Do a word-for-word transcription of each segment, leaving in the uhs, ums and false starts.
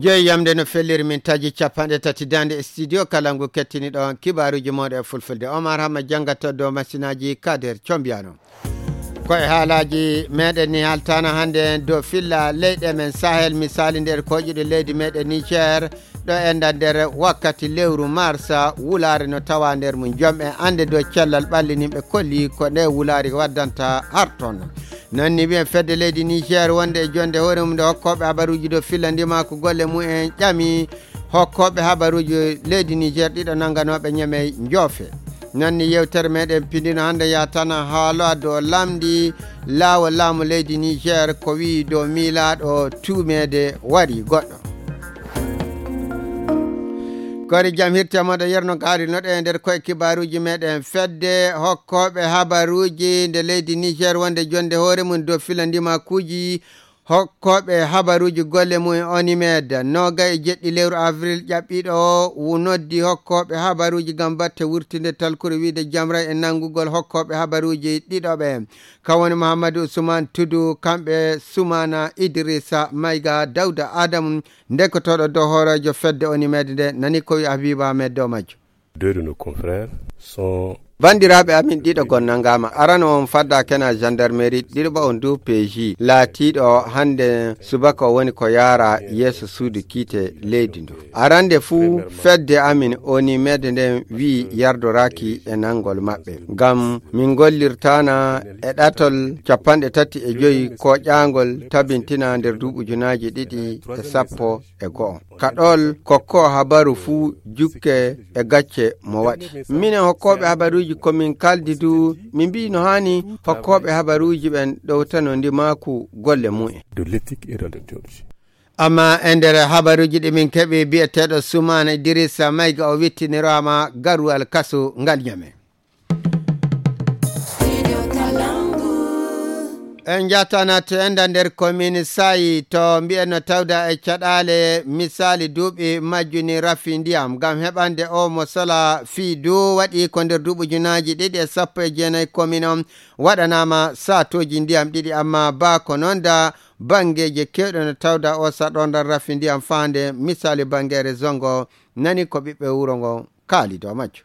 Joyi yamde no felliri min taji capanɗe tati dande e studio kala ngu kettini ɗon kibaaruuji mooɗon e fulfulde. Omar Hamma janngata dow masinaaji Kader Combiyano. Ko e haalaaji meɗen ni haltana hannde dow filla leyɗe men Sahel, misaali nder koƴuɗe leydi meɗen Niger, ɗo enda nder wakkati lewru marsa wulaare no tawa nder mum. Jom e annde dow cellal ɓalli nimɓe kolli ko nde wulaari waddanta harton. Nanni wiyen fedde leydi Niger wonde e jonde hoore mum nde hokkooɓe habaruuji dow filla ndimaaku golle mum en ƴami hokkooɓe habaruuji leydi Niger ɗiɗo nannganooɓe Ñamey njoofe. Nanni yewtere meɗen pindino hannde yatana haala dow lamndi laawol laamu leydi Niger ko wi'i dow miilaaɗo tuumeede wari goɗɗo. Kori jam hirte moɗo yerno gaari noɗe e nder koye kibaaruuji meɗen fedde hokkooɓe habaruuji nde leydi Niger wonde jonde hoore mum dow filla ndimaakuuji hokkooɓe habaruuji golle mum e Onimed, noga e jeɗɗi lewru avril ƴaɓɓiiɗo o, wu noddi hokkooɓe habaruuji ngam batte wurtinde talkuru wiide jamra e nanngugol hokkooɓe habaruuji ɗiɗo ɓe. Kan woni Muhammadu Usman Tudu, kamɓe Sumana Idrissa Mayga, Dawda Adamu, ndekkotooɗo dow hooreejo fedde Onimed nde, nani ko wi Habiba Ahmed dow majjo. Deux de nos confrères sont Banndiraaɓe amin ɗiɗo gonnangaama. Arano on fadda kena gendarmerie, ɗiɗo ba on du P J. Laatiiɗo hannde subaka o woni ko yaara yeeso suudu kiite leydi ndu. Arande fuu fedde amin Onimed nden wi'i yardoraaki e nanngol maɓɓe. Ngam min gollirtaana e ɗatol capanɗe tati e joyi koƴaangol tabintina nder duuɓi ujunaaji ɗiɗi e sappo e go'o. Kaɗol kokko habaru fuu jukke e gacce mo waɗi. Minen hokkooɓe habaruuji ko min kaldi du, min mbi'i no haani hokkooɓe habaruuji ɓen ɗowtano ndimaaku golle mumen. De l'éthique et de la déontologie. Amma e nder habaruuji ɗi min keɓi bi'eteeɗo Sumaana Idrissa Mayga o wittiniraama garuwal kasu ngal Ñame. En njatana to enda nder commune Sayi to mbi'en no tawda e caɗaale misaali duuɓi majjuni rafi ndiyam ngam heɓande o mo sola fii du waɗi ko nder duuɓi junaaji ɗiɗi e sappo e jeenayi commune on waɗanaama saatooji ndiyam ɗiɗi amma baa ko noon da banngeeje keewɗe no tawda o saɗorndal rafi ndiyam faande misaali banngeere zongo nani ko ɓiɓɓe wuro ngo kaali dow majjo.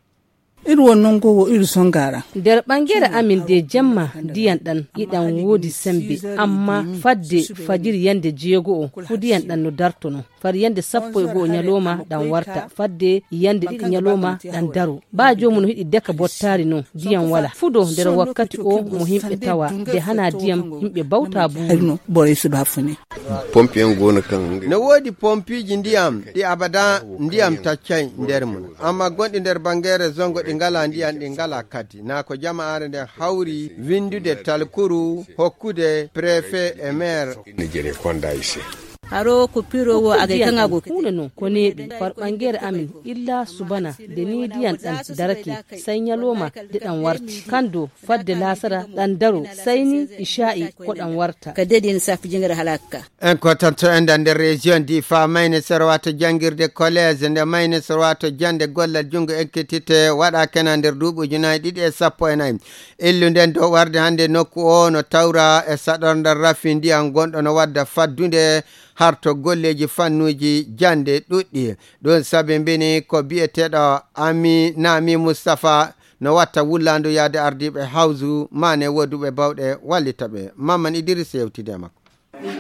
Iri won non ngo wo iri songara. Nder ɓangere amin de jemma ndiyan ɗan iɗan woodi sembe, amma fadde fajiri yande jeego'o fu ndiyan ɗan no dartono. Far yande sappo e go'o nyaloma ɗan warta, fadde yande ɗiɗi nyaloma ɗan daro. Ba joomu no hiɗi deka bottaari non, ndiyan wala. Fudo nder wakkati o mo himɓe tawa, de hana ndiyam himɓe bawta buuru. Hayno, bore suba fune. Pompi en gona kan. No woodi pompiiji ndiyam ɗi abada ndiyam taccay nder mum. Amma gonɗi nder bangere zongo ɗi ngala ndiyam, ɗi ngala kadi. Na ko jama'aare nden hawri windude talkuru hokkude préfet e maire. Ni jere konda ise. Haro ko piro wo agay kanga go. Kuna no ko neɓi far bangere amin illa subana de ni diyan dan darake sai nyaloma de dan warti. Kando fadde lasara dan daro sai ni isha'i ko dan warta. Ka dedin safi jingar halakka. En ko tan to enda nder région Difa, mayne sorwato jangirde collège nde mayne sorwato jande gollal jungo ekkitite waɗa kena nder duuɓi ujunaaji ɗiɗi e sappo e nayi. Illu nden dow warde hannde nokku o no tawra e saɗorndal rafi ndiyam gonɗo no wadda faddunde harto golleeji fannuuji jannde ɗuɗɗi. Ɗum sabi mbini ko biyeteeɗo Ami Nami Mustapha no watta wullaandu yaade ardiiɓe hawsu maane woduɓe bawɗe wallita ɓe. Mamman Idris yewtide e makko.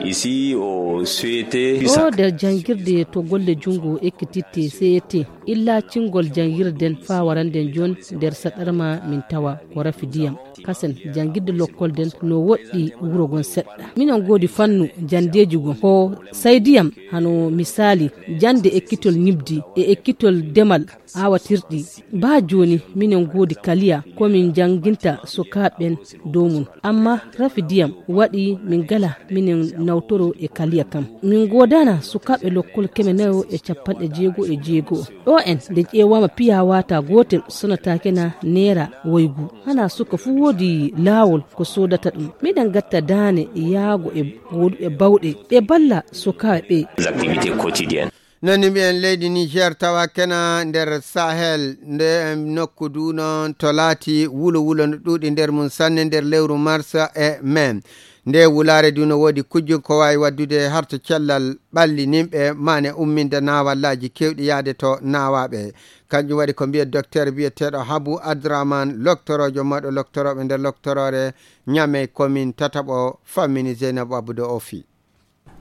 Ici au C E T. Ɗo nder janngirde to golle junngo ekkititte C E T, illa cingol janngirden faa waranden jon nder saɗarma min tawa ko rafi diyam. Kasen janngirde lokkol den no woɗɗi wuro gon seɗɗa. Minen goodi fannu janndeeji gon ko say diyam hano misaali jannde ekkitol ñibdi e ekkitol demal aawatirɗi. Baa jooni minen goodi kaliya ko min njannginta sukaaɓe ɓen dow mun. Amma rafi diyam waɗi min gala minen nawtoro e kaliya kan. Min goodana sukaaɓe lokkol keme nayo e cappanɗe jeego e jeego. Ɗo en nde ƴeewaama piya waata gootel sonataake na neera woygu. Hana suka fuu woodi laawol ko soodata ɗum. Miɗen gatta daane yaago e gooduɓe bawɗe ɓe balla sukaaɓe ɓe. Les activités quotidiennes. Nani mbiyen leydi Niger tawa kena nder Sahel, nde nokku du noon to laati wulo wulo no ɗuuɗi nder mum sanne nder lewru mars e mai. Nde wulaare du no woodi kujju ko waawi waddude harto cellal ɓalli nimɓe, mane umminde naawallaaji keewɗi yaade to naawaaɓe. Kanjum waɗi ko mbiye docteur biyeteeɗo Habu Adraman, loktoroojo mawɗo loktorooɓe nder loktoroore Ñamey, komin tataɓo fammini Zeynab Abdou Ofi.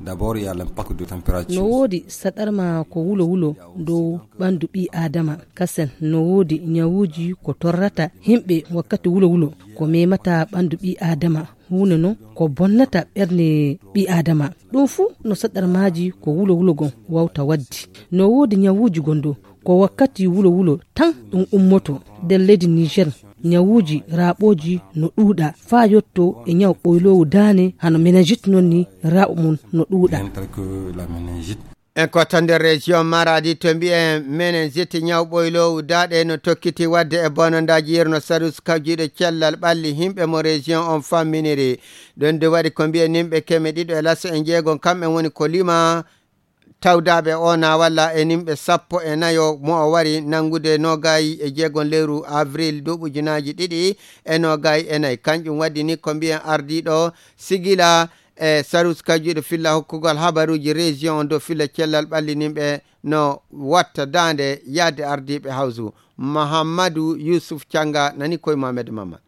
D'abord, il y a l'impact de température. No woodi saɗarma ko wulo wulo dow ɓandu ɓii aadama. Kasen no woodi ñawuuji ko torrata himɓe wakkati wulo wulo, ko memata ɓandu ɓii aadama. Huunde non ko bonnata ɓernde ɓii aadama. Ɗum fuu no saɗarmaaji ko wulo wulo gon wawta waddi. No woodi ñawuuji gon dow ko wakkati wulo wulo tan ɗum ummoto nder leydi Niger. Ñawuuji raaɓooji no ɗuuɗa faa yotto e ñaw ɓoyloowu daane hano meningite non ni raaɓo mum no ɗuuɗa. Entre que la meningite. E ko tan nder région Maradi to mbiyen meningite ñaw ɓoyloowu daaɗe no tokkiti wadde e bonondaaji yerno sarus kawjiiɗo cellal ɓalli himɓe mo région on famminiri. Ɗon de waɗi ko mbiyen nimɓe keme ɗiɗo e laso e njeegon kamɓe woni ko lima tawdaaɓe o na walla e nimɓe sappo e nayo mo o wari nanngude nogayi e jeegon lewru avril duuɓi ujunaaji ɗiɗi e nogayi e nayi. Kanjum waddi ni ko mbiyen ardiiɗo sigila e sarus kajuɗo filla hokkugol habaruuji région on dow filla cellal ɓalli nimɓe no watta daande yaade ardiiɓe hawsu. Mahammadu Yusuf Canga nani koye Mohamed Mamman.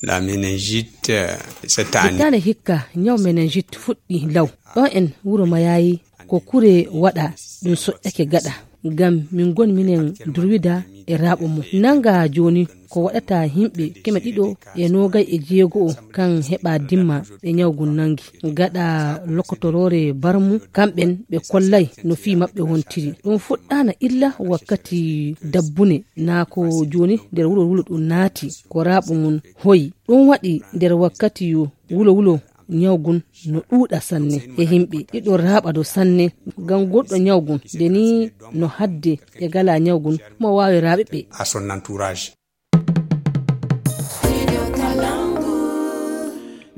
La meningite, euh, cette année. Hitaande hikka, ñaw meningite fuɗɗi law. Ɗo en wuro Mayayi, ko kure waɗa, ɗum soƴƴake gaɗa. Ngam min ngon minen durwida e raaɓo mum. Nanga jooni, ko waɗata yimɓe keme ɗiɗo e noogay e jeego o, kan heɓa dimma ɓe ñaw ngun nangi. Gaɗa lokotoroore barmu, kamɓen ɓe kollay no fii maɓɓe wontiri. Ɗum fuɗɗaana illa wakkati dabbune, naa ko jooni nder wuro wulo ɗum naati, ko raaɓo mum hoyi. Ɗum waɗi nder wakkati yo wulo wulo ñaw ngun no ɗuuɗa sanne e yimɓe. Ɗiɗo raaɓa do sanne ngam goɗɗo ñaw ngun. Nde ni no hadde ɓe gala ñaw ngun, mo waawi raaɓe ɓe. À son entourage.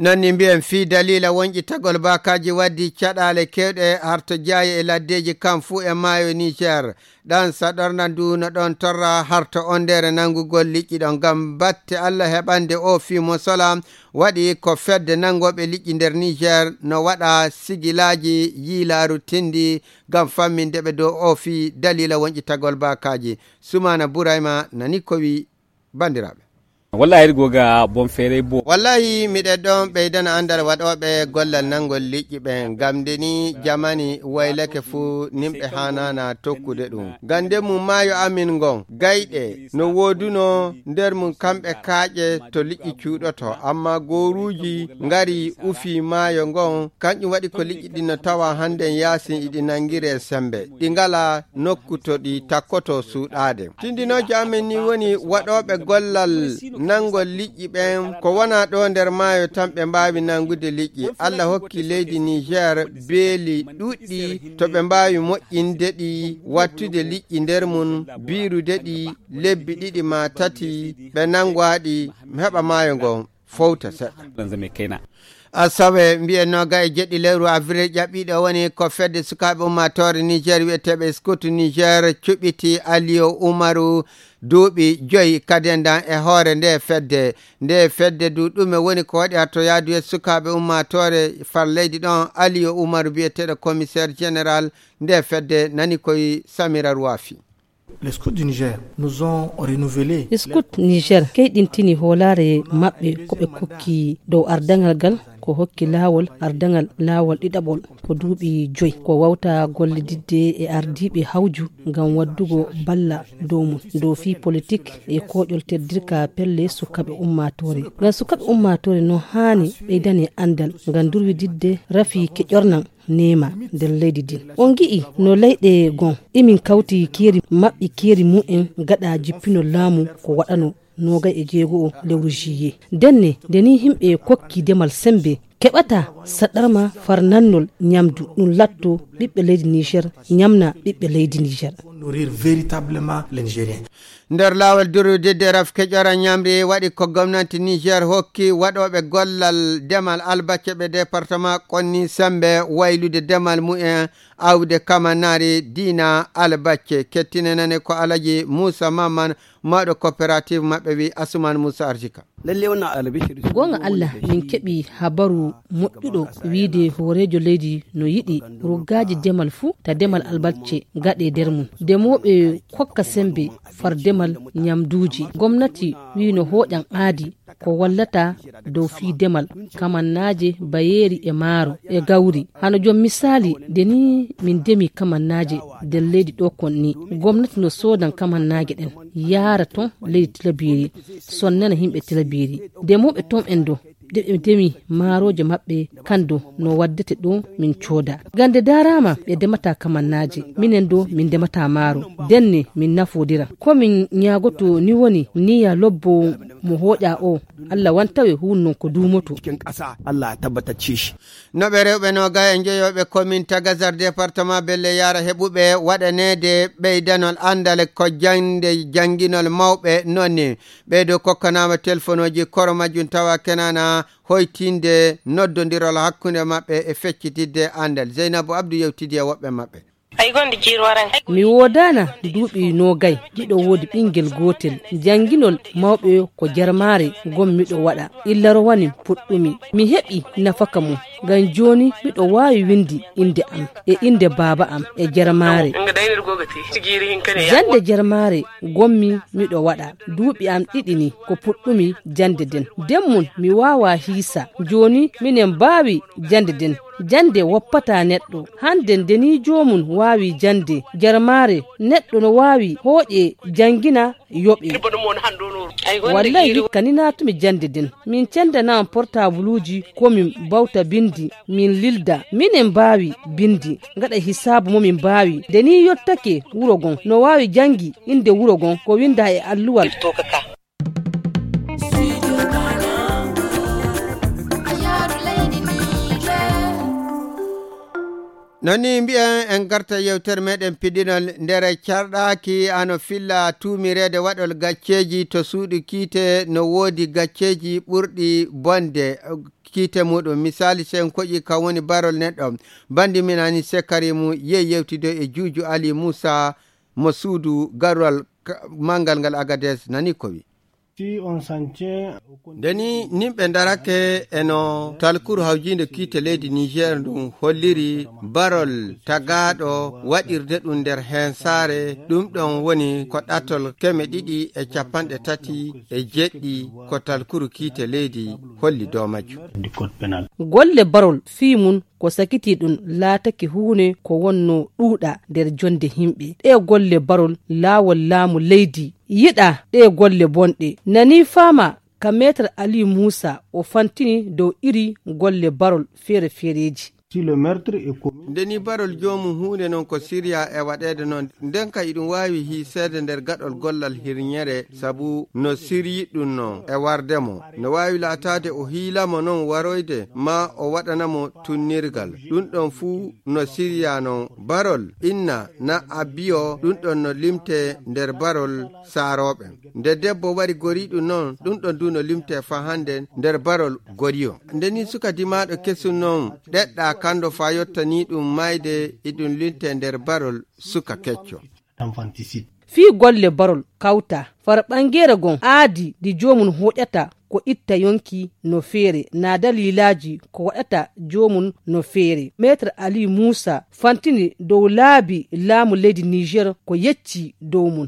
Non ni mbiyen fii daliila wonƴitagol baakaaji waddi caɗaale keewɗe harto jaaye e laddeeji kam fuu e maayo Niger. Ɗan saɗorna ndu no ɗon torra harto ondeere nanngugol liƴƴi ɗon. Ngam batte Allah heɓande o fii mo sola waɗi ko fedde nanngooɓe liƴƴi nder Niger no waɗa sigilaaji yiilaaru tindi ngam famminde ɓe dow o fii daliila wonƴitagol baakaaji. Sumaana Burayma nani ko wi banndiraaɓe. Wallahi, iri goga bon feere bo. Wallahi, miɗen ɗon ɓeydana anndal waɗooɓe gollal nanngol liƴƴi ɓen, ngam nde ni jamani waylake fuu nimɓe haanaana tokkude ɗum. Ngam nden mum maayo amin ngon, gayɗe no wooduno nder mum kamɓe kaaƴe to liƴƴi cuuɗoto, ammaa gooruuji ngari ufi maayo ngon, kanƴum waɗi ko liƴƴi ɗin no tawa hannden yaasin iɗi nanngiree semmbe, ɗi ngalaa nokku to ɗi takkoto suuɗaade. Tindinoojo amen ni woni waɗooɓe gollal nanngol liƴƴi ɓen ko wona ɗo nder maayo tan ɓe mbaawi nanngude liƴƴi. Allah hokki leydi Niger beeli ɗuɗɗi to ɓe mbaawi moƴƴinde ɗi, wattude liƴƴi nder mum, biirude ɗi lebbi ɗiɗi maa tati, ɓe nanngowa ɗi, heɓa maayo ngon fowta seɗɗa. Asawe mbiyen noga e jeɗɗi lewru avril ƴaɓɓiiɗo woni ko fedde sukaaɓe ummaatoore Niger wiyeteeɓe Scout Niger cuɓiti Aliyo Umaru duuɓi joyi kadendan e hoore nde fedde. Nde fedde du ɗume woni ko waɗi hatto yaadu e sukaaɓe ummaatoore far leydi ɗon Aliyo Umaru biyeteeɗo commissaire général nde fedde nani koye Samira Ruwafi. Les scouts du Niger nous ont renouvelé. Scout Niger keyɗintini hoolaare maɓɓe ko ɓe kokki dow ardaŋal ngal, ko hokki laawol ardaŋal laawol ɗiɗaɓol ko duuɓi joyi, ko wawta gollididde e ardiiɓe hawju ngam waddugo balla dow mum, dow fii politik e kooƴol teddirka pelle sukaaɓe ummaatoore. Ngam sukaaɓe ummaatoore no haani ɓeydane anndal ngam durwididde rafi keƴornan neema nder leydi ndin. On ngi'i no leyɗe gon imin kawti keeri maɓɓi keeri mumen gaɗa jippinol laamu ko waɗano noogay e jeego o lewru juillet. Ndenne, nde ni yimɓe kokki demal sembe Keɓata saɗarma far nannol ñamdu, ɗum latto ɓiɓɓe leydi Niger, ñamna ɓiɓɓe leydi Niger. Nourrir véritablement les Nigériens. Nder laawol durudidde rafke ƴora ñamri waɗi ko gomnati Niger hokki waɗooɓe gollal demal albacce ɓe département konni sembe waylude demal mumen awde kamannari diina albacce. Kettinenane ko Alaji Moussa Maman, mawɗo coopérative maɓɓe wi Asuman Moussa Arzika. Goonga Allah, min keɓi habaru moƴƴuɗo wiide hooreejo leydi no yiɗi ruggaaji demal fuu ta demal albacce gaɗe nder mum. Demooɓe kokka sembe far demal ñamduuji. Gomnati wii no hooƴan aadi ko wallata dow fii demal kamannaaje, bayeeri e maaro e gawri. Hano jom misaali, nde ni min demi kamannaaje nder leydi ɗo kon ni, gomnati no soodan kamannaaje ɗen, yaara ton leydi Tilabiri, sonnana yimɓe Tilabiri. Demooɓe ton en ɗo, nde ɓe demi maarooje maɓɓe, kan ɗo no waddete ɗo min cooda. Gande daaraama ɓe demata kamannaaje, minen ɗo min demata maaro, denne min nafoodira. Ko min ñaagoto ni woni niya lobbo mo hooƴa o, Allah wantawe huun non ko duumoto. Cikin ƙasa, Allah ya tabbatacce shi. No ɓe rewɓe no gaya njoyooɓe komin ta Gazar département Belle Yara heɓuɓe waɗaneede ɓeydanol anndal ko jaŋde jannginol mawɓe noon ni. Ɓeydo kokkanaama telefonooji koro majjum tawa kenana hoytinde noddondirol hakkunde maɓɓe e feccitidde anndal. Zeynabu Abdu yewtidi e woɓɓe maɓɓe. Mi woodaana duuɓi noogay, hiɗo woodi ɓinngel gootel. Jannginol mawɓe ko jarmaare ngon miɗo waɗa. Illa rowani puɗɗumi. Mi heɓi nafaka mum. Ngam jooni miɗo waawi winndi innde am e innde baaba am e jarmaare. Jannde jarmaare ngonmi miɗo waɗa. Duuɓi am ɗiɗi ni ko puɗɗumi jannde nden. Nden mum mi waawaa hiisa. Jooni minen mbaawi jannde nden. Jannde woppataa neɗɗo. Hannde nde ni joomum waawi jannde jarmaare, neɗɗo no waawi hooƴe janngina yoɓe. Wallay hikka ni naatumi jannde nden. Min cenndanaa portabuluuji ko min mbawta binndi, min lilda. Minen mbaawi binndi, ngaɗa hisaabu mo min mbaawi. Nde ni yottake wuro gon, no waawi janngi innde wuro gon ko winndaa e alluwal. Noon ni mbiyen en garta yewtere meɗen piɗinol nder carɗaaki ano filla tuumireede waɗol gacceeji to suuɗi kiite no woodi gacceeji ɓurɗi bonde kiite muɗum. Misaali, sen koƴi kam woni barol neɗɗo. Bandi minani sekari mu yehi yewtido e Juuju Ali Muusa mo suudu garwal ka-, manngal ngal Agades nani ko wi. Ndeni nimɓe ndarake eno talkuru hawjiinde kiite leydi Niger ndun holliri barol tagaaɗo waɗirde ɗum nder hensaare, ɗum ɗon woni ko ɗatol keme ɗiɗi e capanɗe tati e jeɗɗi ko talkuru kiite leydi holli dow majjum. Golle barol fii mun ko sakitii ɗum laatake huune ko wonno ɗuuɗa nder jonde himɓe. Ɗe golle barol laawol laamu leydi yiɗa ɗe golle bonɗe. Nani faama ka Meetar Aliyu Muusa o fantini dow iri golle barol feere-feereeji. Ndeni barol joomum huunde non ko siriya e waɗeede non, nden ka iɗum waawi hiiseede nder gaɗol gollal hirñere, sabu no siryi ɗum non e warde mo. No waawi laataade o hiila mo non waroyde, maa o waɗana mo tunnirgal. Ɗum ɗon fuu no siriya non barol, inna, na abbiyo, ɗum ɗon no limte nder barol saarooɓe. Nde debbo wari goriiɗum non, ɗum ɗon du no limte faa hannde nder barol goriyo. Nde ni suka dimaaɗo kesum non ɗeɗɗa kando faa yottanii ɗum maayde, iɗum limte nder barol suka kecco. Fii golle barol kawta far ɓangeere gon aadi ndi joomum hoƴata ko itta yonki no feere, naa daliilaaji ko waɗata joomum no feere. Meetar Aliyu Muusa fantini dow laabi laamu leydi Niger ko yecci dow mum.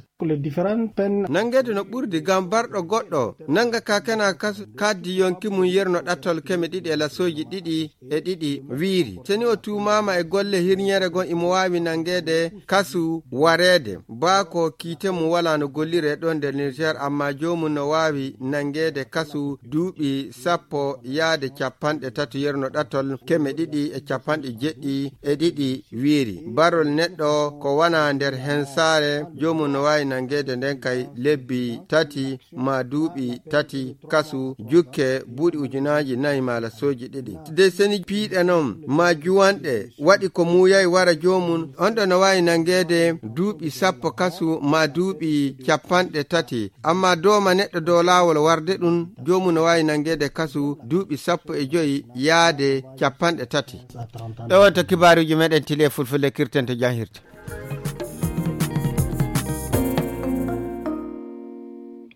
Nanngeede no ɓurdi ngam barɗo goɗɗo nannga ka kena kas-, kaddi yonki mum yerno ɗattol keme ɗiɗi e lasooji ɗiɗi e ɗiɗi wiiri. Seni o tuumaama e golle hirñere gon imo waawi nanngeede kasu wareede. Baa ko kiite mum walaa no golliree ɗon nder Niger, amma joomum no waawi nanngeede kasu Duuɓi sappo yaade capanɗe tati yerno ɗatol keme ɗiɗi e capanɗe jeɗɗi e ɗiɗi wiiri, barol neɗɗo ko wona nder hensaare, joomum no waawi nanngeede nden kay lebbi tati maa duuɓi tati kasu, jukke buuɗi ujunaaji nayi maa lasooji ɗiɗi. De seni piiɗe noon maa juwanɗe waɗi ko muuyay wara joomum, on ɗo no waawi nanngeede duuɓi sappo kasu maa duuɓi capanɗe tati. Amma dooma neɗɗo dow laawol warde ɗum, joomum no waawi nanngeede kasu duuɓi sappo e joyi yaade capanɗe tati. Ɗo wonto kibaaruuji meɗen tile fulfulde kirten to jahirte.